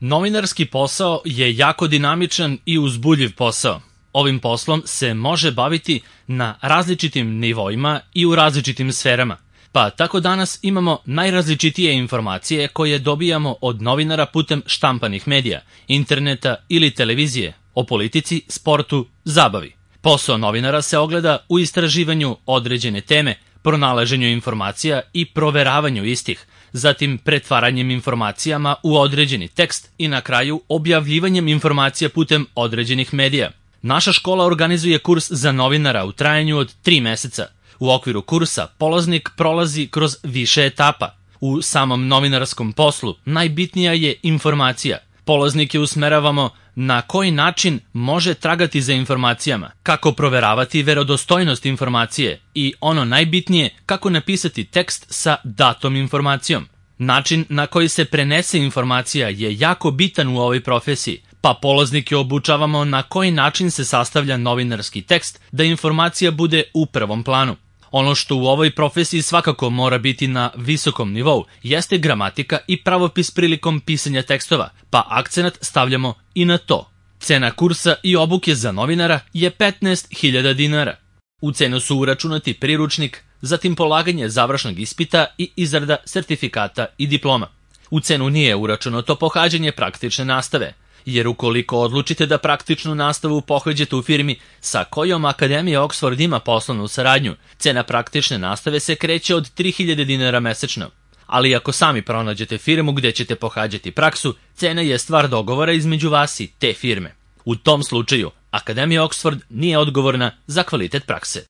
Novinarski posao je jako dinamičan i uzbudljiv posao. Ovim poslom se može baviti na različitim nivoima i u različitim sferama. Pa tako danas imamo najrazličitije informacije koje dobijamo od novinara putem štampanih medija, interneta ili televizije, o politici, sportu, zabavi. Posao novinara se ogleda u istraživanju određene teme, pronalaženju informacija i proveravanju istih, zatim pretvaranjem informacijama u određeni tekst i na kraju objavljivanjem informacija putem određenih medija. Naša škola organizuje kurs za novinara u trajanju od 3 meseca. U okviru kursa polaznik prolazi kroz više etapa. U samom novinarskom poslu najbitnija je informacija. Polaznike usmeravamo na koji način može tragati za informacijama, kako proveravati verodostojnost informacije i ono najbitnije, kako napisati tekst sa datom informacijom. Način na koji se prenese informacija je jako bitan u ovoj profesiji, pa polaznike obučavamo na koji način se sastavlja novinarski tekst da informacija bude u prvom planu. Ono što u ovoj profesiji svakako mora biti na visokom nivou jeste gramatika i pravopis prilikom pisanja tekstova, pa akcenat stavljamo i na to. Cena kursa i obuke za novinara je 15.000 dinara. U cenu su uračunati priručnik, zatim polaganje završnog ispita i izrada sertifikata i diploma. U cenu nije uračunato pohađanje praktične nastave, jer ukoliko odlučite da praktičnu nastavu pohađate u firmi sa kojom Akademija Oxford ima poslovnu saradnju, cena praktične nastave se kreće od 3.000 dinara mesečno. Ali ako sami pronađete firmu gde ćete pohađati praksu, cena je stvar dogovora između vas i te firme. U tom slučaju, Akademija Oxford nije odgovorna za kvalitet prakse.